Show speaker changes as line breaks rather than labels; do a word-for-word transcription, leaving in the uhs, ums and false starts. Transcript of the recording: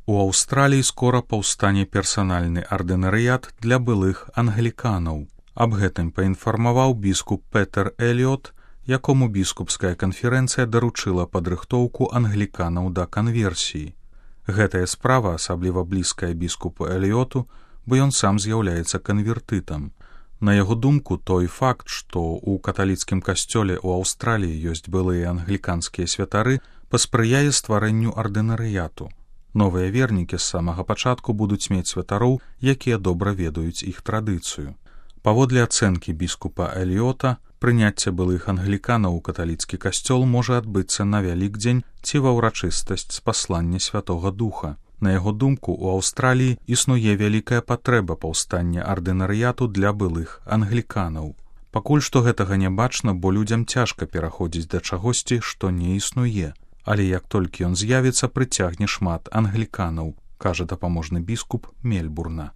У Аўстраліі скора паўстане персанальны ардынарыят для былых англіканаў. Аб гэтым паінфармаваў біскуп Петер Эліот, якому біскупская канферэнцыя даручыла падрыхтоўку англіканаў да канверсіі. Гэтая справа асабліва блізкая біскупу Эліоту, бо ён сам з'яўляецца канвертытам. На яго думку, той факт, што ў каталіцкім касцёле ў Аўстраліі ёсць былыя англіканскія святары, паспрыяе стварэнню ардынарыяту. Новыя вернікі з самага пачатку будуць мець святароў, якія добра ведаюць іх традыцыю. Паводле ацэнкі біскупа Эліота, прыняцце былых англіканаў у каталіцкі касцёл можа адбыцца на Вялікдзень ці ва ўрачыстасць спаслання Святога Духа. На яго думку, у Аўстраліі існуе вялікая патрэба паўстання ардынарыяту для былых англіканаў. Пакуль што гэтага не бачна, бо людзям цяжка пераходзіць да чагосьці, што не існуе. Але як толькі ён з'явіцца, прыцягне шмат англіканаў, кажа дапаможны біскуп Мельбурна.